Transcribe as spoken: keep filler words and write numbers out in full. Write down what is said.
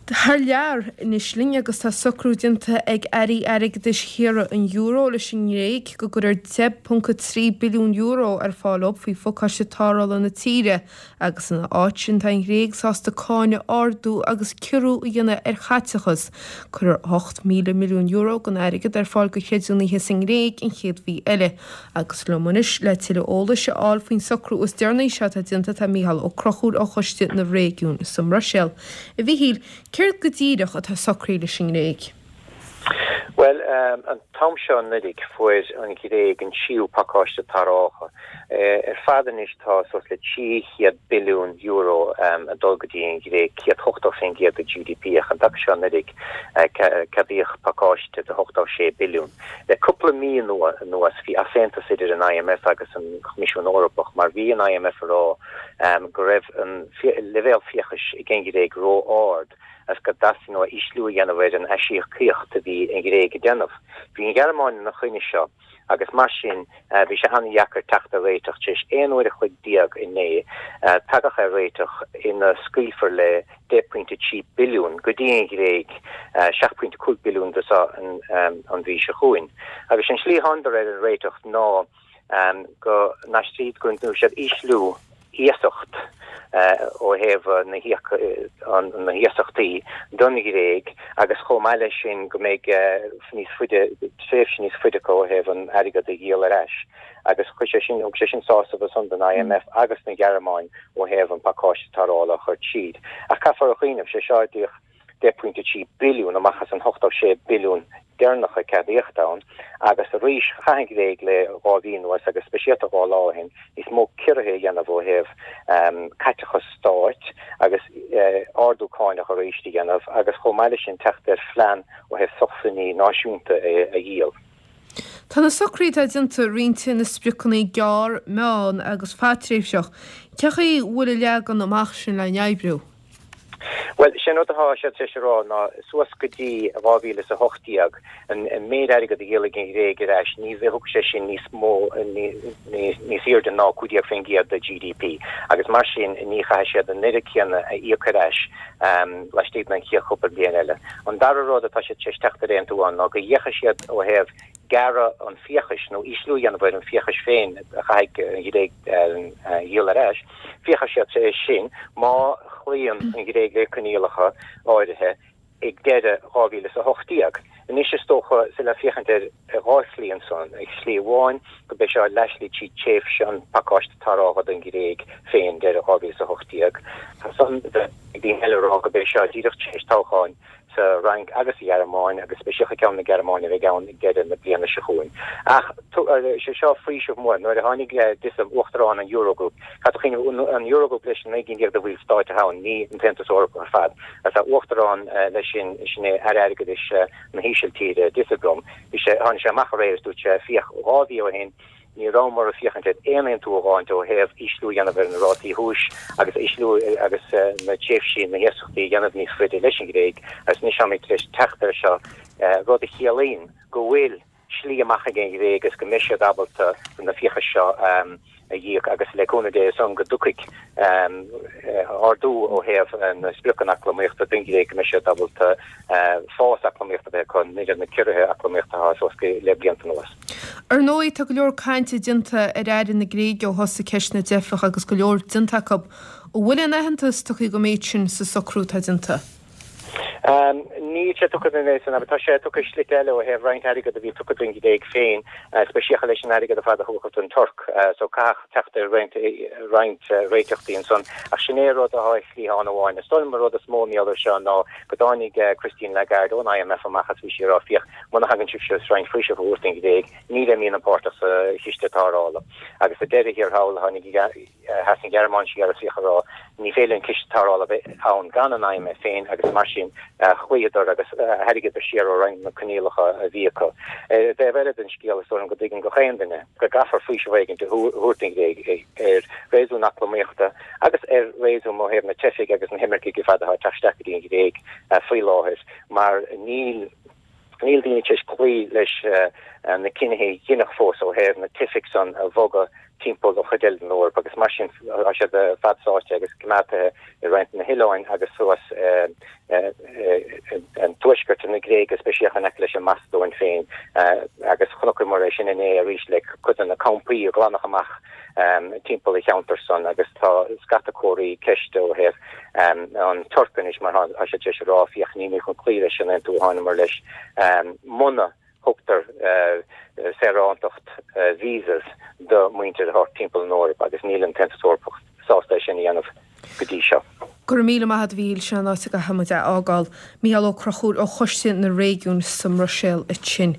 Thar lear anois linn agus tá socrú déanta ag airí airgeadais thíortha an euro leis an nGréig go gcuirfear deich ponc a trí billiún euro ar fáil dóibh faoi phacáiste tarrthála na tíre agus ina áit sin tá an Ghréig sásta cáin a ardú agus ciorrú a dhéanamh ar chaiteachas. Cuirfear ocht míle milliún euro den airgead ar fáil do chreidiúnaithe sa nGréig an chéad mhí eile. Agus liom anois le tuilleadh eolais a fháil faoin socrú is deireanaí seo atá déanta tá Mícheál Ó Conchúir ó Choiste na Réigiún sa mBruiséil. A Mhíchíl, céard go díreach atá socraithe leis an nGréig? Well, um, an t-am seo anuraidh fuair an Ghréig an tríú pacáiste tarrthála. Ar fad anois tá suas le trí chéad billiún euro um, ag dul go dtí an Ghréig céad ochtó faoin gcéad de GDP ach an taca seo anuraidh ceadaíodh pacáiste de ochtó sé billiún. Le cúpla mí anuas bhí easaontas idir an IMF agus an Coimisiún Eorpach mar bhí an IMF ag rá um, go raibh an leibhéal fiachais ag an nGréig ró-ard as go dteastaíonn uathu ísliú a dhéanamh ar an aisíocaíocht a bhí an Ghréig ag déanamh. Bhí an Ghearmáin ina choinne seo agus mar sin bhí sé an-deacair teacht ar réiteach tar éis aon uair a chloig déag inné tagadh ar réiteach ina scaoilfear le deich pointe trí billiún go dtí an Ghréig seacht pointe cúig billiún de seo an mhí seo chugainn. Agus an slí thángthas ar an réiteach ná go n-aistríd go ndéanfaidh siad ísliú iasacht ó thaobh na na hiasachtaí don Ghréig agus chomh maith leis sin go mbeidh níos faide tréimhse níos faide acu ó thaobh an airgead a dhíol ar ais. Agus chuir sé sin thug sé sin sásamh ansan don IMF agus na Gearmáin ó thaobh an pacáiste tarrthála a chur tríd. Ach caithfear a chuimhneamh sé seo díreach deich pointe trí billiún amach as an ochtó sé billiún deireanach a ceadaíodh ann agus arís chaith an Ghréig le dhá mhí anuas agus speisialta dhá lá ó shin níos mó ciorruithe a dhéanamh ó thaobh um, caiteachas stáit agus uh, ardú cánach arís a dhéanamh agus chomh maith leis sin teacht ar phlean ó thaobh sócmhainní náisiúnta a, a dhíol. Tá na socruithe atá déanta roinnte ina spriocanna gearr, meán agus fadtréimhseach. Cén chaoi a bhfuil an leagan amach sin le n-oibriú? Well sin rud atá siad tar éis a rá ná suas go dtí dhá mhíle is a hocht déag an méid airgead a dhíolfaidh an Ghréig ar ais ní bheidh sé sin níos mó níos airde ná cúig déag faoin gcéad de GDP agus mar sin ní chaithfidh siad an oiread céanna a íoc ar ais um, laistigh den chéad chúpla bliain eile. An dara rud atá siad tar éis teacht ar aontú ann ná go bhféachfaidh siad ó thaobh gearradh an fiachais nó ísliú a dhéanamh ar an fiachais féin a chaithfidh an Ghréig a dhíol ar ais, féachfaidh siad é sin má chloíonn an Ghréig le coinníollacha áirithe ag deireadh dhá mhíle is a hocht déag. Anois is dócha sa le féachaint ar dhá shlí ansan, ag slí amháin go mbeidh seo leath-shlí trí tréimhse an pacáiste tarrthála don Ghréig féin deireadh dhá mhíle is a hocht déag. Tá san ag daoine eile rá go mbeidh seo díreach tar éis toghcháin sa Fhrainc agus sa Ghearmáin agus speisialta ceann na Gearmáine a bheidh ann ag deireadh na bliana seo chugainn. Ach sé seo faoiseamh mór nuair a tháinig Dijsselbloem uachtarán an Eurogroup, Cad an Eurogroup leis an naoi gcinn déag de bhallstáit ann ní an tAontas Eorpach ar fad. As a uachtarán leis sin sin é aire airgeadais na hÍsiltíre Dijsselbloem, bhí sé tháinig sé amach aréir is dúirt sé féach dhá mhí ó shin ní rabhamar ag féachaint ar aon aontú a fháil ó thaobh ísliú a dhéanamh ar na rátaí úis agus ísliú agus na tréimhsí na hiasachtaí a dhéanamh níos faide leis an Ghréig agus anois táimid tar éis teacht ar seo rud a chiallaíonn go bhfuil slí amach ag an Ghréig agus go mbeidh siad ábalta na fiachais seo a íoc agus le cúnamh Dé ansan go dtiocfaidh ardú ó thaobh na spriocanna eacnamaíochta don Ghréig go mbeidh siad ábalta fás eacnamaíochta bheith acu ní na ciorruithe eacnamaíochta atá suas le blianta anuas. Ar ndóigh tá go leor cainte déanta ar airí na Gréige ó thosaigh ceist na dteifeach agus go leor déanta acu. An bhfuil aon aitheantas tugtha don méid sin sa socrú atá déanta? Um, ní sé tugtha an san tá sé tugtha slite eile ó thaobh roinnt airgead a bhí tugtha don Ghréig féin, speisialta leis an airgead a fad a thugadh don Tuirc, so caithfidh teacht ar roinnt roinnt réiteachtaí ansan ach sin é rud atá slí amháin. Is dóigh liom rud is mó míol seo ná go dtáinig Christine Lagarde ón IMF amach as bhí sí ag rá féach muna thagann sibh seo roinnt faoiseamh a thabhairt don Ghréig ní bheimid páirteach sa chiste tarrthála. Agus sa deireadh thiar thall tháinig sheas an Ghearmáin siar is í ag rá ní féidir an ciste tarrthála bheith ann gan an IMF féin agus mar sin chloíodar agus tharraingíodar siar ó roinnt na coinníollacha a bhí acu. Taobh eile den scéal is dóigh go dtuigeann gach aon duine go gcaithfear faoiseamh éigin a thabhairt don Ghréig ar réasún eacnamaíochta agus ar réasún ó thaobh na teifigh agus na himircigh ar fad atá ag teacht isteach go dtí an Ghréig faoi láthair mar níl níl daoine tar éis cloí leis na cinnithe a deineadh fós ó thaobh na teifigh san a bhogadh timpeall an chuid eile den Eoraip agus mar sin tá siad fad sáite agus coimeádta i roinnt na hoileáin agus suas an tuaisceart na Gréige speisialta in aice leis an Macadóin féin agus chonaiceamar é sin inné arís le cuid de na campaí a glanadh amach timpeall an cheantar san agus tá scata comharthaí ceiste ó thaobh an Tuirc anois mar tá siad tar éis a rá féach nílimid chun cloí leis an aontú a thángamar leis muna thugtar saorántacht visas do muintir thart timpeall an Eoraip agus níl an tAontas Eorpach sásta é sin a dhéanamh go dtí seo. Go raibh míle maith agat a Mhíchíl, sin an áit a gcaithfidh muid a fhágáil. Mícheál Ó Conchúir ó Choiste na Réigiún sa mBruiséil ansin.